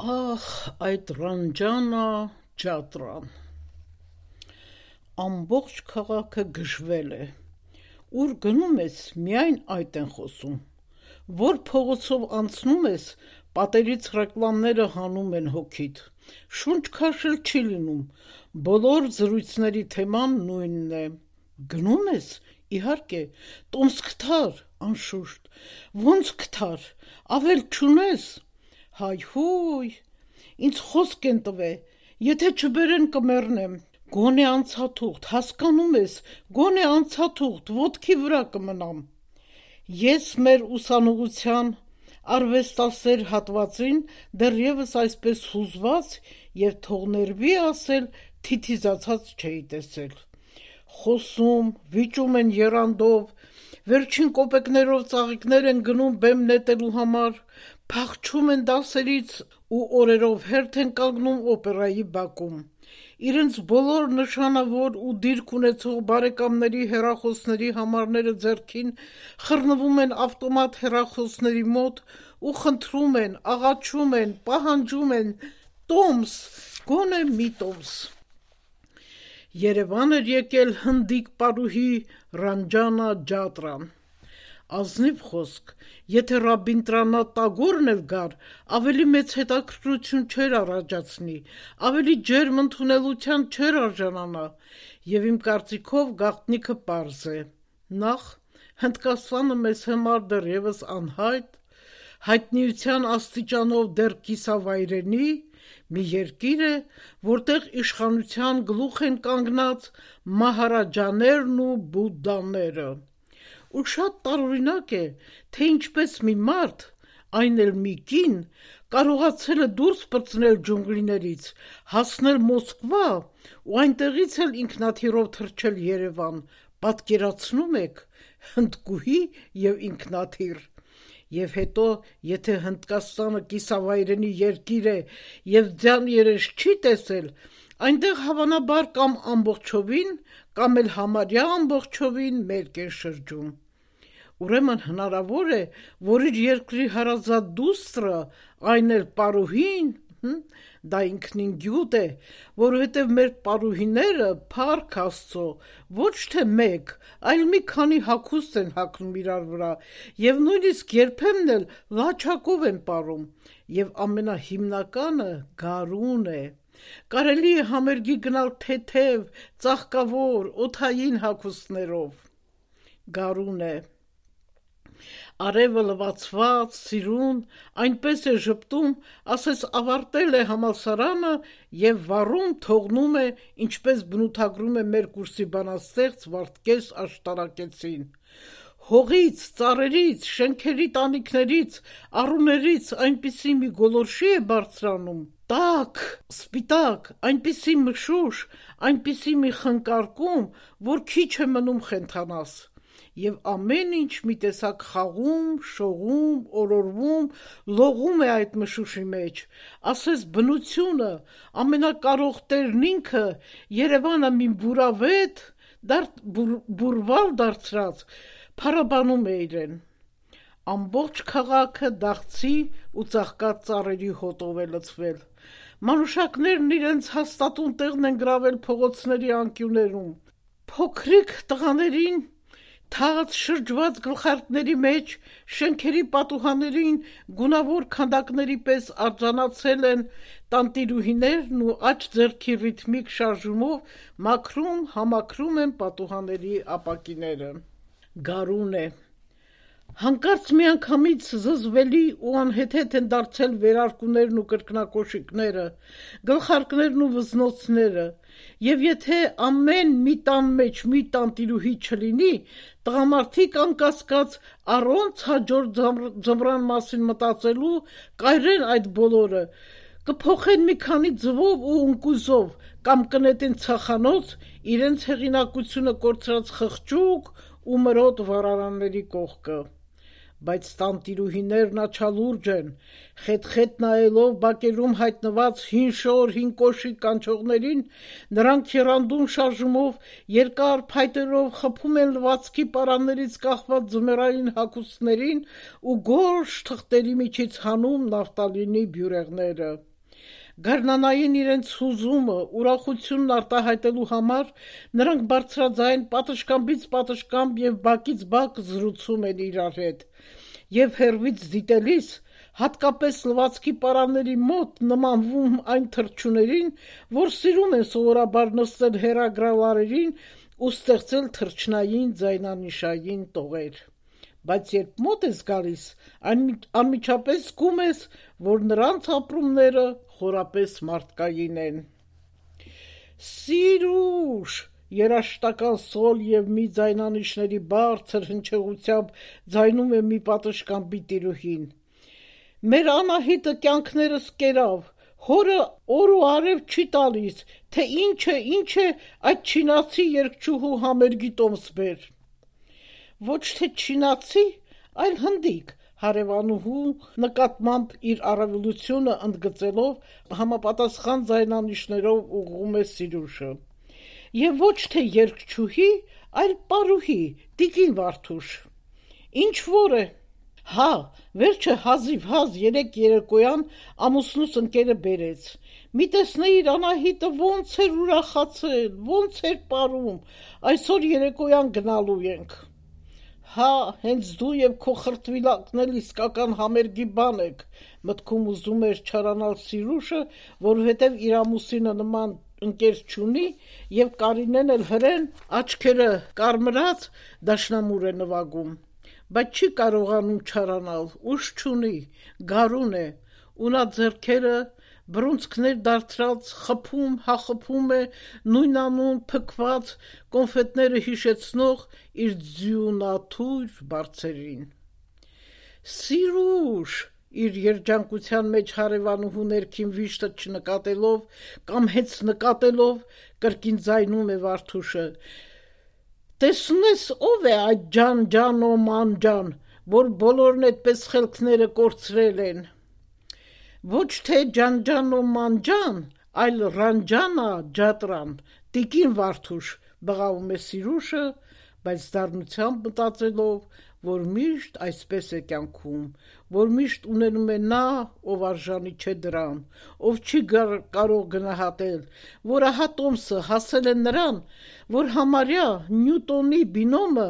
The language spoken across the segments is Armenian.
Ախ, այդ Ռանջանա ջատրան, ամբողջ քաղաքը գժվել է, ուր գնում ես միայն այդ են խոսում, որ փողոցով անցնում ես, պատերից ռեկլամները հանում են հոգիդ, շունչ քաշել չի լինում, բոլոր զրույցների թեման նույնն է, գնում ես, իհարկե, տոմս կթար, անշուշտ, ոնց կթար, ավել չունես, հայհույ, ինձ խոսք են տվե, եթե չբերեն կմեռնեմ, գոնե անցաթուղթ, հասկանում ես, գոնե անցաթուղթ, ոտքի վրա կմնամ, ես մեր ուսանողության արվեստասեր հատվածին դեռևս այսպես հուզված և թողներվի ասել թիթիզացած չէի տեսել, խոսում, վիճում են եռանդով, վերջին կոպեկներով ծաղիկներ են գնում բեմ նետելու համար, փախչում են դասերից ու օրերով հերթ են կանգնում օպերայի բակում, իրենց բոլոր նշանավոր ու դիրք ունեցող բարեկամների հեռախոսների համարները ձեռքին խռնվում են ավտոմատ հեռախոսների մոտ ու խնդրում են, աղաչում են, պահանջում են, տոմս, գոնե մի տոմս, Երևան էր եկել հնդիկ պարուհի Ռանջանա ջատրան, ազնիվ խոսք, եթե Ռաբինդրանաթ Տագորն էլ գար, ավելի մեծ հետաքրքրություն չէր առաջացնի, ավելի ջերմ ընդունելության չէր արժանանա, և իմ կարծիքով գաղտնիքը պարզ է, նախ Հնդկաստանը մեզ համար դեռևս անհայտ, հայտնիության աստիճանով դեռ կիսավայրենի, մի երկիր է, որտեղ իշխանության գլուխ են կանգնած մահարաջաներն ու բուդդաները, ու շատ տարօրինակ է, թե ինչպես մի մարդ, այն էլ մի կին, կարողացել է դուրս պրծնել ջունգլիներից, հասնել Մոսկվա ու այնտեղից էլ ինքնաթիռով թռչել Երևան, պատկերացնում եք, հնդկուհի և ինքնաթիռ, և հետո, եթե Հնդկաստանը կիսավայրենի երկիր է և ձյան երես չի տեսել, այնտեղ հավանաբար կամ ամբողջովին, կամ էլ համարյա ամբողջովին մերկ են շրջում, ուրեմն հնարավոր է, որ իր երկրի հարազատ դուստրը, այն էլ պարուհին, դա ինքնին գյուտ է, որովհետև մեր պարուհիները, փառք Աստծո, ոչ թե մեկ, այլ մի քանի հագուստ են հագնում իրար վրա և նույնիսկ երբեմն էլ լաչակով են պարում և ամենահիմնականը գարուն է, կարելի է համերգի գնալ թեթև, ծաղկավոր, օդային հագուստներով, գարուն է, արևը լվացված, սիրուն, այնպես է ժպտում, ասես ավարտել է համալսարանը և վառում թողնում է, ինչպես բնութագրում է մեր կուրսի բանաստեղծ Վարդգես Աշտարակեցին, հողից, ծառերից, շենքերի տանիքներից, առուներից այնպիսի մի գոլորշի է բարձրանում, տաք, սպիտակ, այնպիսի մշուշ, այնպիսի մի խնկարկում, որ քիչ է մնում խենթանաս, և ամեն ինչ մի տեսակ խաղում, շողում, օրորվում, լողում է այդ մշուշի մեջ, ասես բնությունը, ամենակարող տերն ինքը, Երևանը մի բուրավետ, բուրվալ դարձրած, փառաբանում է իրեն, ամբողջ քաղաքը դաղցի ու ծաղկած ծառերի հոտով է լցվել, մանուշակներն իրենց հաստատուն տեղն են գրավել փողոցների անկյուններում, փոքրիկ տղաներին թաց շրջված գլխարկների մեջ, շենքերի պատուհաններին գունավոր քանդակների պես արձանացել են տանտիրուհիներն ու աջ ձեռքի ռիթմիկ շարժումով մաքրում, համակրում են պատուհանների ապակիները, գարուն է, հանկարծ միանգամից զզվելի ու անհեթեթ են դարձել վերարկուներն ու կրկնակոշիկները, գլխարկներն ու վզնոցները, և եթե ամեն մի տան մեջ մի տանտիրուհի չլինի, տղամարդիկ անկասկած առոնց հաջորդ ձմռան մասին մտածելու կայրեն այդ բոլորը, կփոխեն մի քանի ձվով ու ընկույզով կամ կնետեն ցախանոց իրենց հեղինակությունը կորցրած խղճուկ ու մրոտ վառարանների կողքը, բայց տանտիրուհիներն աչալուրջ են, խետ-խետ նայելով բակերում հայտնված հին շոր, հին կոշիկ կանչողներին, նրանք եռանդուն շարժումով, երկար փայտերով խփում են լվացքի պարաններից կախված ձմեռային հագուստներին ու գորշ թղթերի միջից հանում նավթալինի բյուրեղները, Գարնանային իրենց հուզումը, ուրախությունն արտահայտելու համար նրանք բարձրաձայն պատշգամբից պատշգամբ և բակից բակ զրուցում են իրար հետ, և հեռվից դիտելիս, հատկապես լվացքի պարանների մոտ նմանվում այն թռչուներին, որ սիրում են սովորաբար նստել հեռագրավարերին ու ստեղծել թռչնային ձայնանշային տողեր, բայց երբ մոտ ես գալիս, անմիջապես զգում ես, որ նրանց ապրումները խորապես մարդկային են: Սիրուշ, երաժշտական սոլ և մի ձայնանիշների բարձր հնչեղությամբ ձայնում է մի պատշգամբի տիրուհին: Մեր Անահիտը կյանքներս կերավ, հորը օր ու արև չի տալիս, թե ինչ է այդ չինացի երգչուհու համերգի տոմս բեր: Ոչ թե չինացի, այլ հնդիկ, հարևանուհու նկատմամբ իր առավելությունը ընդգծելով համապատասխան ձայնանիշներով ուղղում է Սիրուշը: Եվ ոչ թե երգչուհի, այլ պարուհի, տիկին Վարդուշ: Ինչ որ է: Հա, վերջը հազիվհազ երեկ երեկոյան ամուսնուս ընկերը բերեց: Մի տեսնեիր Անահիտը ոնց էր ուրախացել, ոնց էր պարում, այսօր երեկոյան գնալու ենք: Հա, հենց դու և քո խրտվիլակն էլ իսկական համերգի բան եք, մտքում ուզում էր չարանալ Սիրուշը, որովհետև իր ամուսինը նման ընկեր չունի և Կարինեն էլ հրեն, աչքերը կարմրած, դաշնամուր է նվագում, բայց չի կարողանում չարանալ, ուժ չունի, գարուն է, ու նա ձեռքերը բռունցքներ դարձրած խփում է նույնանուն փքված կոնֆետները հիշեցնող իր ձյունաթույր բարձերին: Սիրուշ, իր երջանկության մեջ հարևանուհու ներքին վիշտը չնկատելով կամ հենց նկատելով կրկին ձայնում է Վարդուշը, տեսնու ես ով է այդ ջան ու ման ջան, որ բոլորն էդպես խելքները կորցրել են: Ոչ թե ջան ու ման ջան, այլ Ռանջանա Ջատրան, տիկին Վարդուշ, բղավում է Սիրուշը, բայց դառնությամբ մտածելով, որ միշտ այսպես է կյանքում, որ միշտ ունենում է նա, ով արժանի չէ դրան, ով չի կարող գնահատել, որ ահա տոմսը հասել է նրան, որ համարյա Նյուտոնի բինոմը,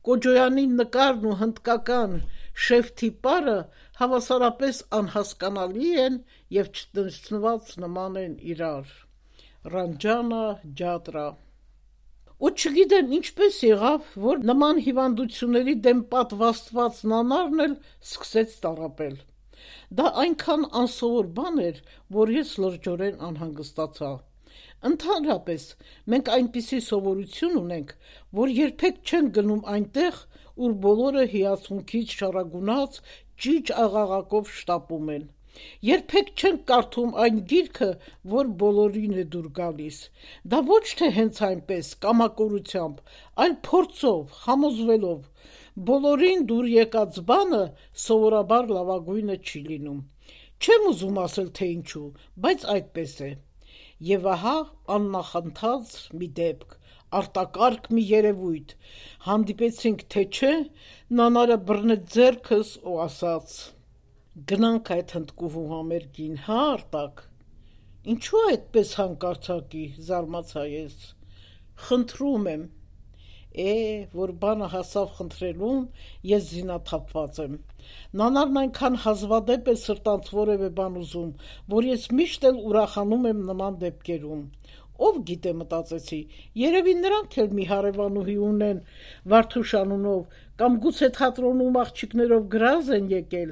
Կոջոյանի նկարն ու հնդկական Շեֆթի պարը հավասարապես անհասկանալի են և չտեսնված նման են իրար: Ռանջանա Ջատրա: Ու չգիտեմ ինչպես եղավ, որ նման հիվանդությունների դեմ պատվաստված Նանարն էլ սկսեց տառապել: Դա այնքան անսովոր բան էր, որ ես լրջորեն անհանգստացա: Ընդհանրապես, մենք այնպիսի սովորություն ունենք, որ երբեք չենք գնում այնտեղ, ուր բոլորը հիացմունքից շառագունած ճիճ աղաղակով շտապում են: Երբեք չենք կարդում այն գիրքը, որ բոլորին է դուր գալիս: Դա ոչ թե հենց այնպես, կամակորությամբ, այլ փորձով, համոզվելով: Բոլորին դուր եկած բանը սովորաբար լավագույնը չի լինում: Չեմ ուզում ասել, թե ինչու, բայց այդպես է: Եվ ահա աննախընթաց մի դեպք, արտակարգ մի երևույթ: Հանդիպեցինք թե չէ, Նանարը բռնեց ձեռքս ու ասաց. «Գնանք այդ հնդկուհու համերգին, հա Արտակ»: Ինչո՞ւ այդպես հանկարծակի, զարմացա ես: Խնդրում եմ: Որ բանը հասավ խնդրելուն, ես զինաթափված եմ: Նանարն այնքան հազվադեպ է սրտանց որևէ բան ուզում, որ ես միշտ էլ ուրախանում եմ նման դեպքերում: Ով գիտե, մտածեցի, երևի նրանք էլ մի հարևանուհի ունեն Վարդուշ անունով կամ գուցե թատրոնում աղջիկներով գրազ են եկել: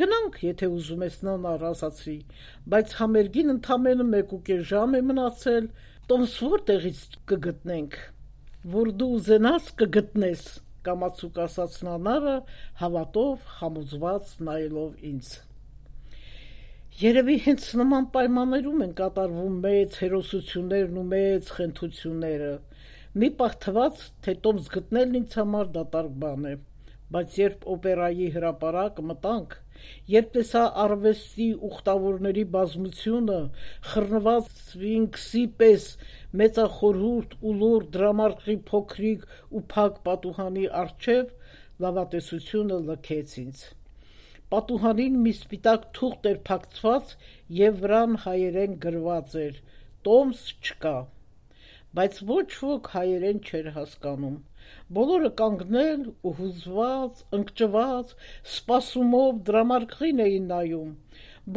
Գնանք, եթե ուզում ես Նանար, ասացի, բայց համերգին ընդամենը 1.5 ժամ է մնացել, տոմս որտեղից կգտնենք: Որ դու ուզենաս կգտնես, կամացուկ ասաց Նանարը, հավատով համոզված նայելով ինձ: Երևի հենց նման պայմաններում են կատարվում մեծ հերոսություններն ու մեծ խենթությունները: Մի պահ թվաց, թե տոմս գտնելն ինձ համար դատարկ բան է: Բայց երբ օպերայի հրապարակ մտանք, երբ տեսա արվեստի ուխտավորների բազմությունը խռնված սֆինքսի պես մեծախորհուրդ ու լուռ դրամարկղի փոքրիկ ու փակ պատուհանի առջև, լավատեսությունը լքեց ինձ: Պատուհանին մի սպիտակ թուղթ էր փակցված եւ վրան հայերեն գրված էր. «Տոմս չկա»։ Բայց ոչ ոք հայերեն չէր հասկանում։ Բոլորը կանգնել ու հուզված, ընկճված, սպասումով դրամարկղին էին նայում։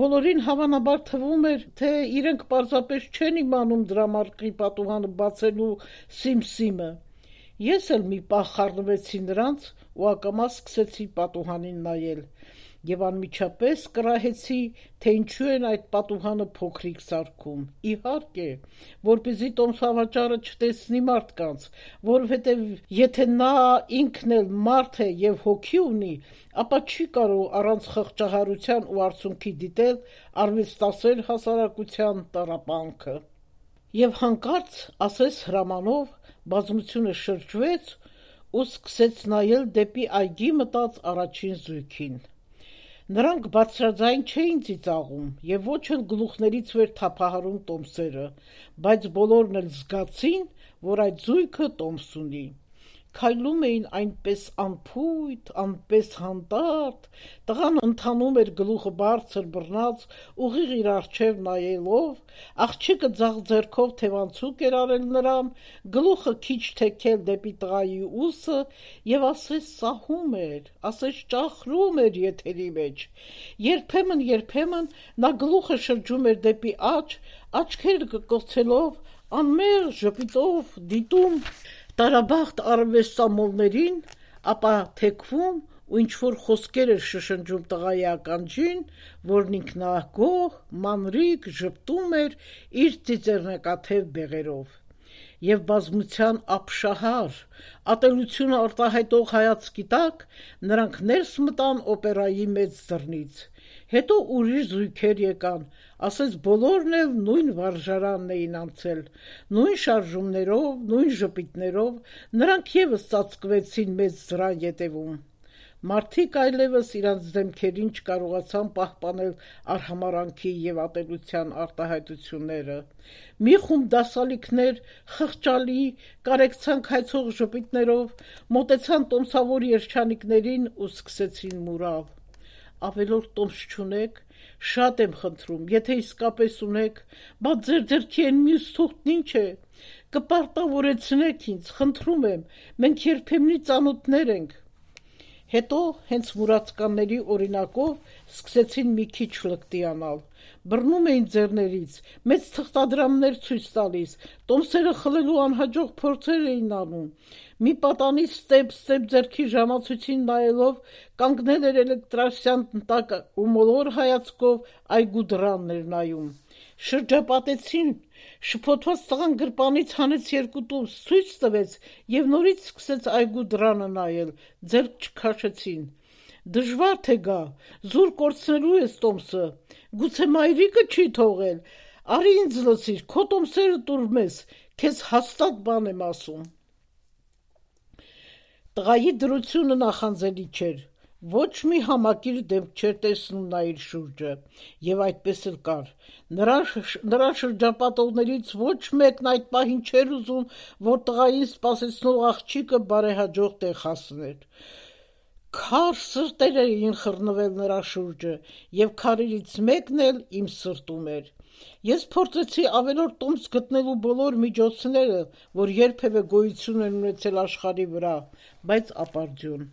Բոլորին հավանաբար թվում էր, թե իրենք պարզապես չեն իմանում դրամարկղի պատուհանը բացելու սիմսիմը։ Ես էլ մի պահ խառնվեցի նրանց ու ակամա սկսեցի պատուհանին նայել եւ անմիջապես կռահեցի, թե ինչու են այդ պատուհանը փոքրիկ սարքում։ Իհարկե, որպեսզի տոմսավաճառը չտեսնի մարդկանց, որովհետեւ եթե նա ինքն էլ մարդ է եւ հոգի ունի, ապա չի կարող առանց խղճահարության ու արցունքի դիտել արվեստասեր հասարակության տառապանքը։ Եվ հանկարծ, ասես հրամանով, բազմությունը շրջվեց ու սկսեց նայել դեպի այգի մտած առաջին զույգին։ Նրանք բարձրաձայն չէին ծիծաղում եւ ոչ էլ գլուխներից վեր թափահարում տոմսերը, բայց բոլորն էլ զգացին, որ այդ զույգը տոմս ունի։ Քայլում էին այնպես անփույթ, անպես հանդարտ, տղան ընթանում էր գլուխը բարձր բռնած, ուղիղ իր առջև նայելով, աղջիկը ձախ ձեռքով թևանցուկ էր արել նրան, գլուխը քիչ թեքել դեպի տղայի ուսը եւ ասես սահում էր, ասես ճախրում էր եթերի մեջ։ Երբեմն նա գլուխը շրջում էր դեպի աջ, աչքերը կկոցելով, անմեղ ժպիտով դիտում տարաբախտ արվեստամոլներին, ապա թեքվում ու ինչ-որ խոսքեր էր շշնջում տղայի ականջին, որն ինքնագոհ, մանրիկ ժպտում էր իր ծիծեռնակաթև բեղերով։ Եվ բազմության ապշահար, ատելությունը արտահայտող հայացքի տակ նրանք ներս մտան օպերայի մեծ դռնից։ Հետո ուրիշ զույգեր եկան, ասես բոլորն էլ նույն վարժարանն էին անցել, նույն շարժումներով, նույն ժպիտներով, նրանք եւս ծածկվեցին մեծ դռան ետևում։ Մարդիկ այլևս իրանց դեմքերին չկարողացան պահպանել արհամարանքի եւ ատելության արտահայտությունները։ Մի խումբ դասալիքներ խղճալի, կարեկցանք հայցող ժպիտներով մոտեցան տոմսավոր երջանիկներին ու սկսեցին մուրալ։ Ավելորդ տոմս չունեք, շատ եմ խնդրում, եթե իսկապես ունեք, բա ձեր ձեռքի են մյուս թուղթն ինչ է, կպարտավորեցնեք ինձ, խնդրում եմ, մենք երբեմնի ծանոթներ ենք։ Հետո հենց մուրացկանների օրինակով սկսեցին մի քիչ լկտիանալ, բռնում էին ձեռներից, մեծ թղթադրամներ ցույց տալիս, տոմսերը խլելու անհաջող փորձեր էին անում։ Մի պատանի ստեպ ձեռքի ժամացույցին նայելով կանգնել էր էլեկտրասյան տակ ու մոլոր հայացքով այգու դռանն էր նայում։ Շրջապատեցին, շփոթված տղան գրպանից հանեց երկու տոմս, ցույց տվեց եւ նորից սկսեց այգու դռանը նայել, ձեռք չքաշեցին։ Դժվար թե գա, զուր կորցնելու ես տոմսը, գուցե մայրիկը չի թողել, արի ինձ լսիր, քո տոմսերը տուր մեզ, քեզ հաստատ բան եմ ասում։ Տղայի դրությունը նախանձելի չէր, ոչ մի համակիր դեմք չէր տեսնում նա իր շուրջը, եւ այդպես էլ կար։ Նրա շրջապատողներից ոչ մեկն այդ պահին չէր ուզում, որ տղային սպասեցնող աղջիկը բարեհաջող տեղ հասներ։ Քար սրտեր էին խռնվել նրա շուրջը, եւ քարերից մեկն էլ իմ սրտում էր։ Ես փորձեցի ավելորդ տոմս գտնելու բոլոր միջոցները, որ երբևէ գոյություն են ունեցել աշխարհի վրա, բայց ապարդյուն։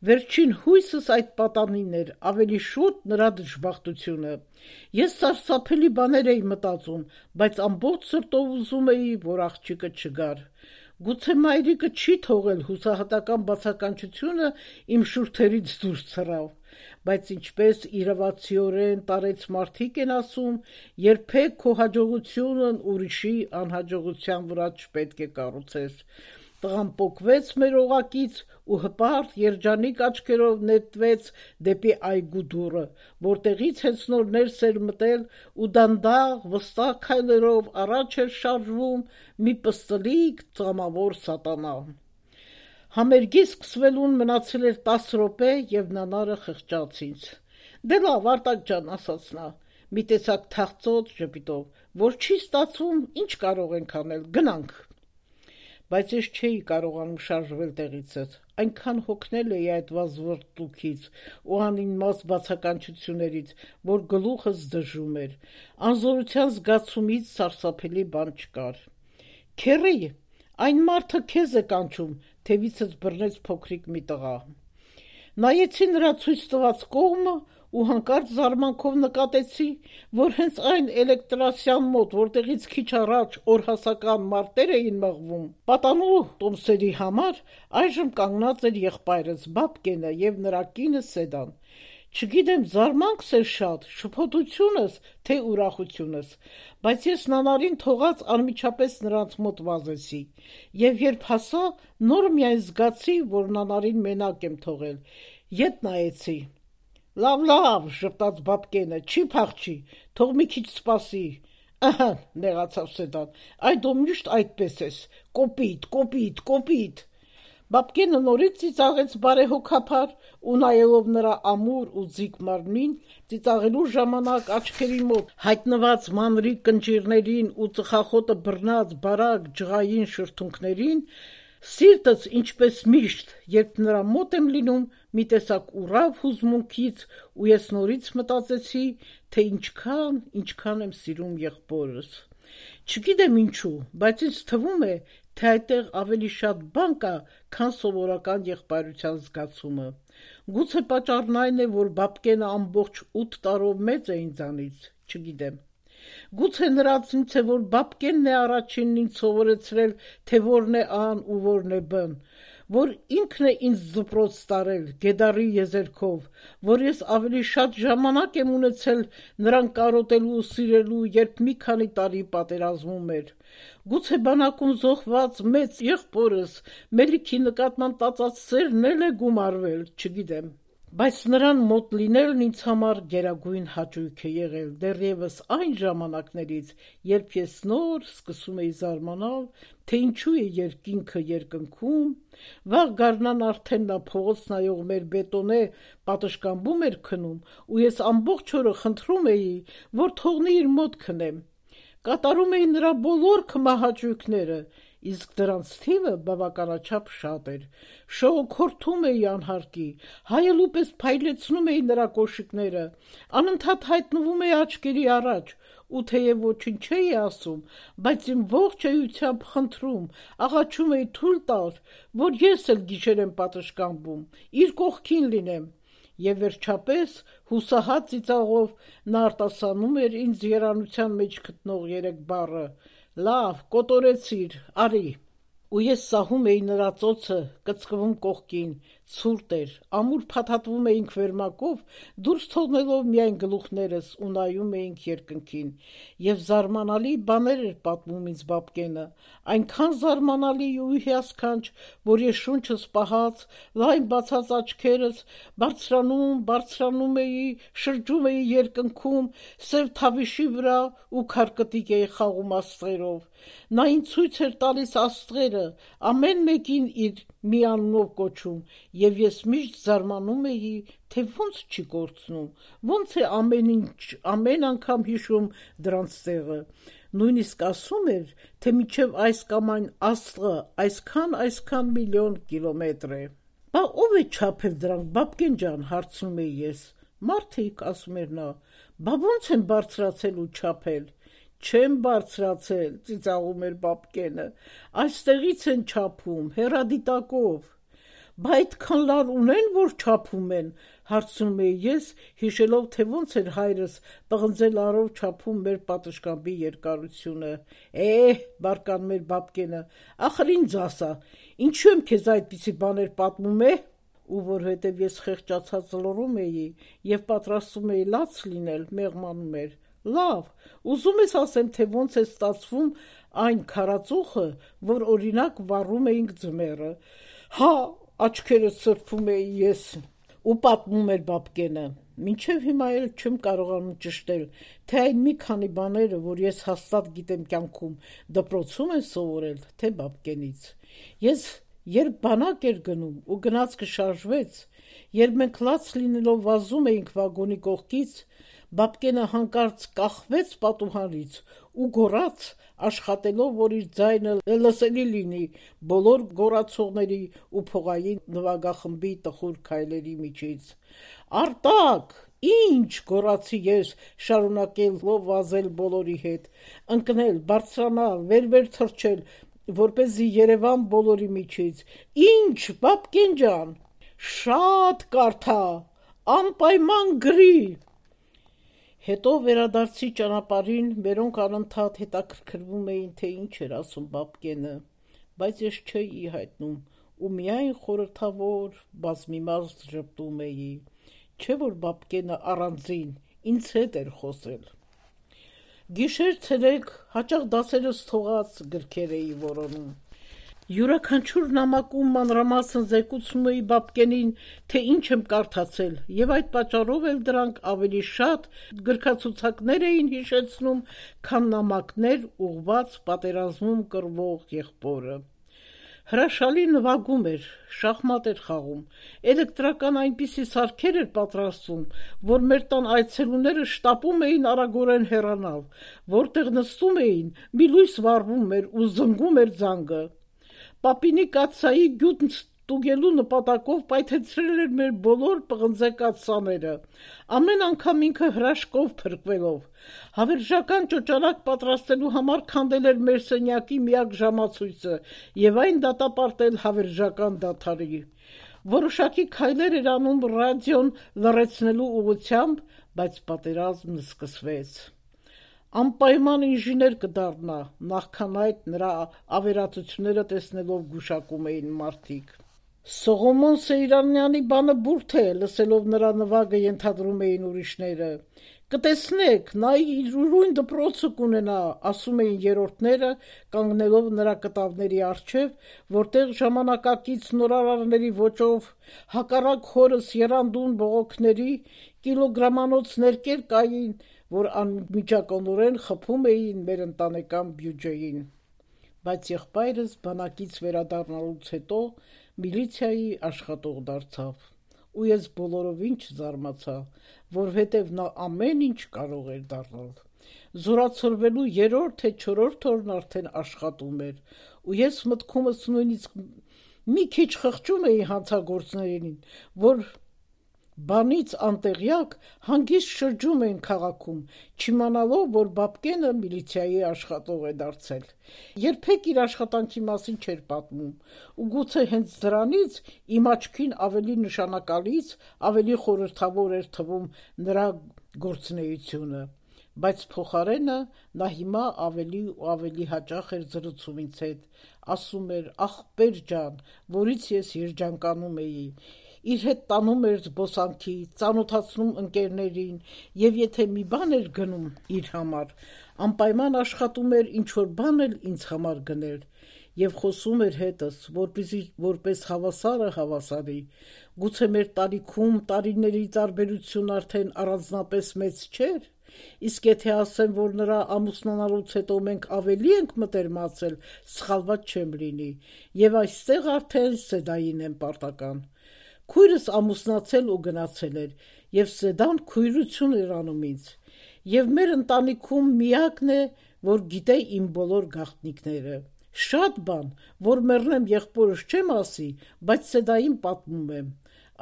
Վերջին հույսս այդ պատանին էր, ավելի շուտ նրա դժբախտությունը։ Ես սարսափելի բաներ էի մտածում, բայց ամբողջ սրտով ուզում էի, որ աղջիկը չգար։ Գուցե մայրիկը չի թողել, հուսահատական բացականչությունը իմ շուրթերից դուրս ցրավ, բայց ինչպես իրավացիորեն տարեց մարդիկ են ասում, երբեք քո հաջողությունն ուրիշի անհաջողության վրա չպետք է կառուցես։ Տղան պոկվեց մեր օղակից ու հպարտ երջանիկ աչքերով նետվեց դեպի այգու դուռը, որտեղից հենց նոր ներս էր մտել ու դանդաղ վստահ քայլերով առաջ էր շարժվում մի պստլիկ ծամավոր սատանա։ Համերգի սկսվելուն մնացել էր 10 րոպե եւ նանարը խղճաց ինձ։ Դե լավ, Արտակ ջան, ասաց նա, մի տեսակ թախծոտ ժպիտով, որ չի ստացվում, ինչ կարող ենք անել, գնանք։ բայց ես չէի կարողանում շարժվել տեղիցս, այնքան հոգնել էի այդ վազվռտուքից ու անիմաստ բացականչություններից, որ գլուխս դժում էր, անզորության զգացումից սարսափելի բան չկար: Քեռի, այն մարդը քեզ է կանչում, թևիցս բռնեց փոքրիկ մի տղա: Նայեցի նրա ցույց տված կողմը ու հանկարծ զարմանքով նկատեցի, որ հենց այն էլեկտրասյան մոտ, որտեղից քիչ առաջ օրհասական մարտեր էին մղվում պատանու տոմսերի համար, այժմ կանգնած էր եղբայրս Բաբկենը և նրա կինը Սեդան: Չգիտեմ զարմանքս էր շատ, շփոթությունս, թե ուրախությունս, բայց ես նանարին թողած անմիջապես նրանց մոտ վազեցի և երբ հասա, նոր միայն զգացի, որ նանարին մենակ եմ թողել, ետ նայեցի: Լավ, ժպտաց Բաբկենը, չի փախչի, թող մի քիչ սպասի: Ըհը, նեղացավ Սեդան, այ դու միշտ այդպես ես, կոպիտ: Բաբկենը նորից ծիծաղեց բարեհոգապար ու նայելով նրա ամուր ու ձիգ մարմնին, ծիծաղելու ժամանակ աչքերի մոտ հայտնված մանրիկ կնճիռներին ու ծխախոտը բռնած բարակ ջղային շրթունքներին, սիրտս ինչպես միշտ, երբ նրա մոտ եմ լինում, մի տեսակ ուռավ հուզմունքից ու ես նորից մտածեցի, թե ինչքան եմ սիրում եղբորս: Չգիտեմ ինչու, բայց ինձ թվում է, թե այդտեղ ավելի շատ բան կա, քան սովորական եղբայրության զգացումը: Գուցե պատճառն այն է, որ Բաբկենը ամբողջ 8 տարով մեծ է ինձանից, չգիտեմ: Գուցե նրանցից է, որ Բաբկենն է առաջինն ինձ սովորեցրել, թե որն է ան ու որն է բն, որ ինքն է ինձ դպրոց տարել, գետառի եզերքով, որ ես ավելի շատ ժամանակ եմ ունեցել նրան կարոտելու ու սիրելու, երբ մի քանի տարի պատերազմում էր: Գուցե բանակում զոհված մեծ եղբորս Մելիքի նկատմամբ տածած սերն էլ է գումարվել, չգիտեմ: Բայց նրան մոտ լինելն ինձ համար գերագույն հաճույք է եղել դեռևս այն ժամանակներից, երբ ես նոր սկսում էի զարմանալ, թե ինչու է երկինքը երկնքում, վաղ գարնան արդեն նա փողոց նայող մեր բետոնե պատշգամբում էր քնում ու ես ամբողջ օրը խնդրում էի, որ թողնի իր մոտ քնեմ: Կատարում էի նրա բոլոր քմահաճույքները, իսկ դրանց թիվը բավականաչափ շատ էր: Շողոքորթում էի անհարկի, հայելու պես փայլեցնում էի նրա կոշիկները, անընդհատ հայտնվում էի աչքերի առաջ ու թեև ոչինչ չէի ասում, բայց իմ ողջ էությամբ խնդրում, աղաչում էի թույլ տար, որ ես էլ գիշեր եմ պատշգամբում, իր կողքին լինեմ: Եվ վերջապես, հուսահատ ծիծաղով նա արտասանում էր ինձ երանության մեջ գտնող 3 բառը. «Լավ, կոտորեցիր, արի»: Ու ես սահում էի նրա ծոցը, կծկվում կողքին, ցուրտ էր, ամուր փաթաթվում էինք վերմակով, դուրս թողնելով միայն գլուխներս ու նայում էինք երկնքին: Եվ զարմանալի բաներ էր պատմում ինձ Բաբկենը, այնքան զարմանալի ու հիասքանչ, որ ես շունչս պահած, լայն բացած աչքերս, բարձրանում էի, շրջում էի երկնքում, սև թավիշի վրա ու քարկտիկ էի խաղում աստղերով: Նա ինձ ցույց էր տալիս աստղերը, ամեն մեկին իր մի անունով կոչում և ես միշտ զարմանում էի, թե ոնց չի կորցնում, ոնց է ամեն անգամ հիշում դրանց տեղը: Նույնիսկ ասում էր, թե մինչև այս կամ այն աստղը այսքան միլիոն կիլոմետր է: Բա ով է չափել դրանք, Բաբկեն ջան, հարցնում էի ես: Մարդիկ, ասում էր նա: Բա ոնց են բարձրացել ու չափել: Չեն բարձրացել, ծիծաղում էր Բաբկենը, այստեղից են չափում, հեռադիտակով: Բա այդքան լար ունե՞ն, որ չափում են, հարցնում էի ես, հիշելով, թե ոնց էր հայրս պղնձե լարով չափում մեր պատշգամբի երկարությունը: Բարկանում էր Բաբկենը, ախր ինձ ասա, ինչու եմ քեզ այդպիսի բաներ պատմում, ու որովհետև ես խեղճացած լռում էի և պատրաստվում էի լաց լինել, մեղմանում էր. Լավ, ուզում ես ասեմ, թե ոնց է ստացվում այն քարածուխը, որ օրինակ վառում էինք ձմեռը: Հա, աչքերս սրբում էի ես: Ու պատմում էր Բաբկենը: Մինչև հիմա էլ չեմ կարողանում ճշտել, թե այն մի քանի բաները, որ ես հաստատ գիտեմ կյանքում, դպրոցում են սովորել, թե Բաբկենից: Ես երբ բանակ էր գնում ու գնացքը շարժվեց, երբ մենք լաց լինելով վազում էինք վագոնի կողքից, Բաբկենը հանկարծ կախվեց պատուհանից ու գոռաց, աշխատելով, որ իր ձայնը լսելի լինի բոլոր գոռացողների ու փողային նվագախմբի տխուր քայլերի միջից։ «Արտակ, ի՞նչ», գոռացի ես, շարունակելով վազել բոլորի հետ, ընկնել, բարձրանալ, վեր թռչել, որպեսզի Երևան բոլորի միջից։ «Ինչ, Բաբկեն ջան»։ «Շատ կարդա, անպայման գրի»։ Հետո վերադարձի ճանապարհին, մերոնք անընդհատ հետաքրքրվում էին, թե ինչ էր ասում Բաբկենը, բայց ես չէի հայտնում ու միայն խորհրդավոր, բազմիմաստ ժպտում էի, չէ՞ որ Բաբկենը առանձին ինձ հետ էր խոսել։ Գիշեր-ցերեկ հաճախ դասերս թողած գրքեր էի որոնում։ Յուրաքանչյուր նամակում մանրամասն զեկուցում էի Բաբկենին, թե ինչ եմ կարդացել, եւ այդ պատճառով էլ դրանք ավելի շատ գրքացուցակներ էին հիշեցնում, քան նամակներ ուղղված պատերազմում կռվող եղբորը։ Հրաշալի նվագում էր, շախմատ էր խաղում, էլեկտրական այնպիսի սարքեր էր պատրաստում, որ մեր տան այցելուները շտապում էին արագորեն հեռանալ, որտեղ նստում էին, մի լույս վառվում էր ու զնգում էր զանգը։ Պապինի կաթսայի գյուտն ստուգելու նպատակով պայթեցրել էր մեր բոլոր պղնձե կաթսաները, ամեն անգամ ինքը հրաշքով փրկվելով։ Հավերժական ճոճանակ պատրաստելու համար քանդել էր մեր սենյակի միակ ժամացույցը եւ այն դատապարտել հավերժական դադարի։ Որոշակի քայլեր էր անում ռադիոն լռեցնելու ուղղությամբ, բայց պատերազմն սկսվեց։ Անպայման ինժեներ կդառնա, նախքան այդ նրա ավերածությունները տեսնելով գուշակում էին մարդիկ։ Սողոմոն Սեյրանյանի բանը բուրդ է, լսելով նրա նվագը ենթադրում էին ուրիշները։ Կտեսնեք, նա իր ուրույն դպրոցը կունենա, ասում էին երրորդները, կանգնելով նրա կտավների առջև, որտեղ ժամանակակից նորարարների ոճով հակառակ հորս եռանդուն բողոքների կիլոգրամանոց ներկեր կային, որ անմիջականորեն խփում էին մեր ընտանեկան բյուջեին։ Բայց եղբայրս բանակից վերադառնալուց հետո միլիցիայի աշխատող դարձավ, ու ես բոլորովին չզարմացա, որովհետև նա ամեն ինչ կարող էր դառնալ։ Զորացրվելու 3-րդ թե 4-րդ օրն արդեն աշխատում էր, ու ես մտքումս նույնիսկ մի քիչ խղճում էի հանցագործներին, որ բանից անտեղյակ հանգիստ շրջում են քաղաքում, չիմանալով, որ Բաբկենը միլիցիայի աշխատող է դարձել։ Երբեք իր աշխատանքի մասին չէր պատմում, ու գուցե հենց դրանից իմ աչքին ավելի նշանակալից, ավելի խորհրդավոր էր թվում նրա գործունեությունը, բայց փոխարենը նա հիմա ավելի ու ավելի հաճախ էր զրուցում ինձ հետ, ասում էր ախպեր ջան, որից ես երջանկանում էի, իր հետ տանում էր զբոսանքի, ծանոթացնում ընկերներին, եւ եթե մի բան էր գնում իր համար, անպայման աշխատում էր ինչ-որ բան էլ ինձ համար գներ, եւ խոսում էր հետս, որպեսզի որպես հավասարը հավասարի, գուցե մեր տարիքում տարիների տարբերություն արդեն առանձնապես մեծ չէր, իսկ եթե ասեմ, որ նրա ամուսնանալուց հետո մենք ավելի ենք մտերմացել, սխալված չեմ լինի, եւ այստեղ արդեն Սեդային եմ պարտական։ Քույրս ամուսնացել ու գնացել էր, եւ Սեդան քույրություն էր անում ինձ, եւ մեր ընտանիքում միակն է, որ գիտե իմ բոլոր գաղտնիքները։ Շատ բան, որ մեռնեմ եղբորս չեմ ասի, բայց Սեդային պատմում եմ,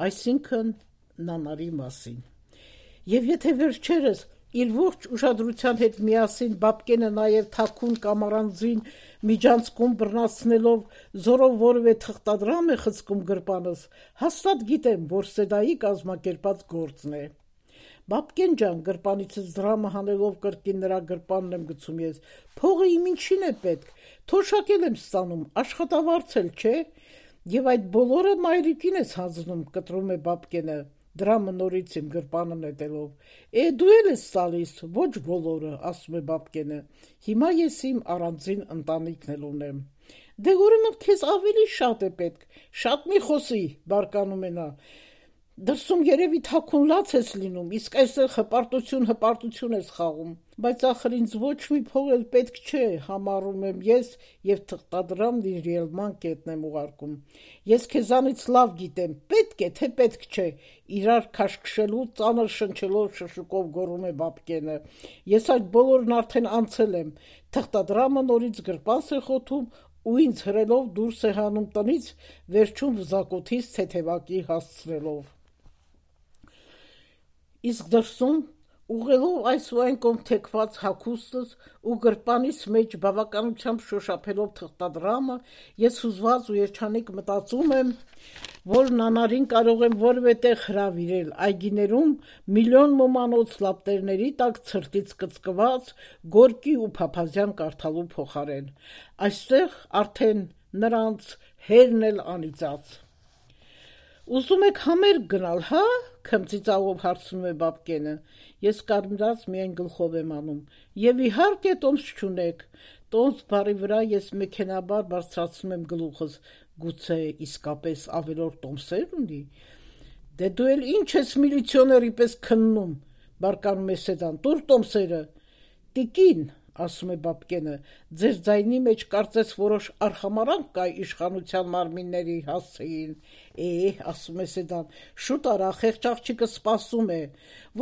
այսինքն նանարի մասին։ Եվ եթե վերջերս իր ողջ ուշադրության հետ միասին Բաբկենը նաև թաքուն կամ առանձին միջանցքում բռնացնելով զորով որևէ թղթադրամ է խցկում գրպանս, հաստատ գիտեմ, որ Սեդայի կազմակերպած գործն է։ Բաբկեն ջան, գրպանիցս դրամը հանելով կրկին նրա գրպանն եմ գցում ես, փողը իմ ինչին է պետք, թոշակել եմ ստանում, աշխատավարձ էլ չէ, եւ այդ բոլորը մայրիկին ես հանձնում, կտրում է Բաբկենը, դրամը նորից իմ գրպանը նետելով։ Դու էլ ես տալիս, ոչ բոլորը, ասում է Բաբկենը, հիմա ես իմ առանձին ընտանիքն էլ ունեմ։ Դե ուրեմն քեզ ավելի շատ է պետք, շատ մի խոսի, բարկանում է նա։ Դրսում երևի թաքուն լաց ես լինում, իսկ այստեղ հպարտություն ես խաղում, բայց ախր ինձ ոչ մի փող էլ պետք չէ, համառում եմ ես և թղթադրամն իր ելման կետն եմ ուղարկում: Ես քեզանից լավ գիտեմ, պետք է, թե պետք չէ, իրար քաշքշելու ծանր շնչելով շշուկով գոռում է Բաբկենը: Ես այդ բոլորն արդեն անցել եմ, թղթադրամը նորից գրպանս է խոթում ու ինձ հրելով դուրս է հանում տնից, վերջում վզակոթիս թեթևակի հասցնելով: Իսկ դրսում, ուղղելով այս ու այն կողմ թեքված հագուստս ու գրպանիս մեջ բավականությամբ շոշափելով թղթադրամը, ես հուզված ու երջանիկ մտածում եմ, որ Նանարին կարող եմ որևէ տեղ հրավիրել, այգիներում միլիոն ոմանոց լապտերների տակ ցրտից կծկված Գորկի ու Փափազյան կարդալու փոխարեն: Այստեղ արդեն նրանց հերն էլ անիծած: Ուզում եք համերգ գնալ, հա՞, քմծիծաղով հարցնում է Բաբկենը: Ես կարմրած միայն գլխով եմ անում: Եվ իհարկե տոմս չունեք: Տոմս բառի վրա ես մեքենայաբար բարձրացնում եմ գլուխս: Գուցե իսկապես ավելորդ տոմսեր ունի: Դե դու էլ ինչ ես միլիցիոների պես քննում, բարկանում է Սեդան, տուր տոմսերը: Տիկին, ասում է Բաբկենը, ձեր ձայնի մեջ կարծես որոշ արխամարհանք կա իշխանության մարմինների հասցեին: Ասում է Սեդան, շուտ արա, խեղճ աղջիկը սպասում է: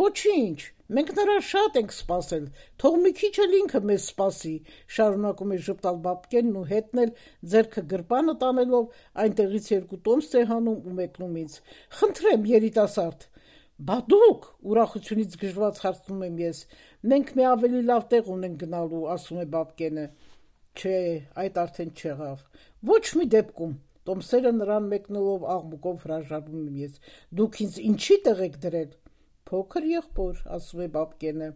Ոչինչ, մենք նրան շատ ենք սպասել, թող մի քիչ էլ ինքը մեզ սպասի, շարունակում է ժպտալ Բաբկենն ու հետն էլ ձեռքը գրպանը տանելով այնտեղից երկու տոմս է հանում ու մեկնում ինձ: Խնդրեմ, երիտասարդ: Բա դուք, ուրախությունից գժված հարցնում եմ ես: Մենք մի ավելի լավ տեղ ունենք գնալու, ասում է Բաբկենը: Չէ, այդ արդեն չեղավ: Ոչ մի դեպքում, տոմսերը նրան մեկնելով աղմուկով հրաժարվում եմ ես: Դուք ինձ ինչի՞ տեղ եք դրել: Փոքր եղբոր, ասում է Բաբկենը: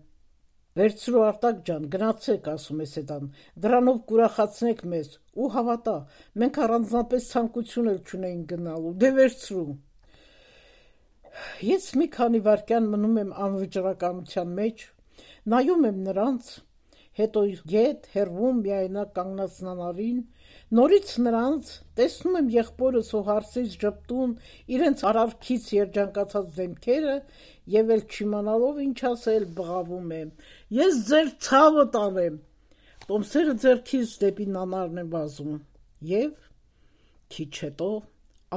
Վերցրու Արտակ ջան, գնացեք, ասում է Սեդան, դրանով կուրախացնեք մեզ: Ու հավատա, մենք առանձնապես ցանկություն էլ չունեինք գնալու: Դե վերցրու: Ես մի քանի վայրկյան մնում եմ անվճռականության մեջ, նայում եմ նրանց, հետո ետ, հեռվում միայնակ կանգնած Նանարին, նորից նրանց, տեսնում եմ եղբորս ու հարսից ժպտուն իրենց արարքից երջանկացած դեմքերը և էլ չիմանալով ինչ ասել, բղավում եմ: Ես ձեր ցավը տանեմ: Տոմսերը ձեռքից դեպի Նանարն եմ վազում և քիչ հետո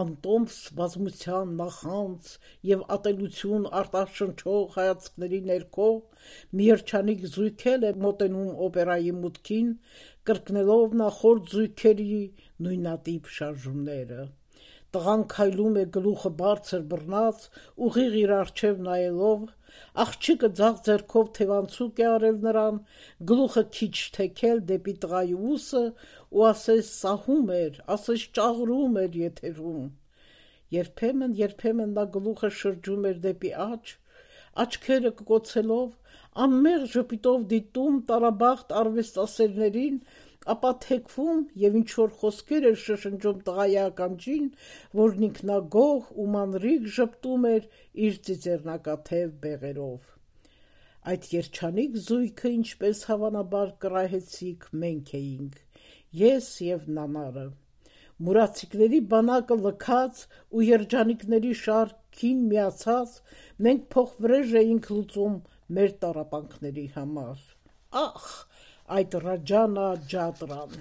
անտոմս բազմության, նախանձ և ատելություն արտաշնչող հայացքների ներքո մի երջանիկ զույգ էլ է մոտենում օպերայի մուտքին, կրկնելով նախորդ զույգերի նույնատիպ շարժումները: Տղան քայլում է գլուխը բարձր բռնած, ուղիղ իր առջև նայելով, աղջիկը ձախ ձեռքով թևանցուկ է արել նրան, գլուխը քիչ թեքել դեպի տղայի ուսը ու ասես սահում էր, ասես ճաղրում էր եթերում: Երբեմն նա գլուխը շրջում էր դեպի աջ, աչքերը կկոցելով, անմեղ ժպիտով դիտում տարաբախտ արվեստասերներին, ապա թեքվում և ինչ-որ խոսքեր էր շշնջում տղայի ականջին, որն ինքնագոհ ու մանրիկ ժպտում էր իր ծիծեռնակաթև բեղերով: Այդ երջանիկ զույգը, ինչպես հավանաբար կռահեցիք, մենք էինք, ես և Նանարը: Մուրացիկների բանակը լքած ու երջանիկների շարքին միացած, մենք փոխվրեժ էինք լուծում մեր տառապանքների համար: Ախ, այդ Ռաջանա Ջատրան: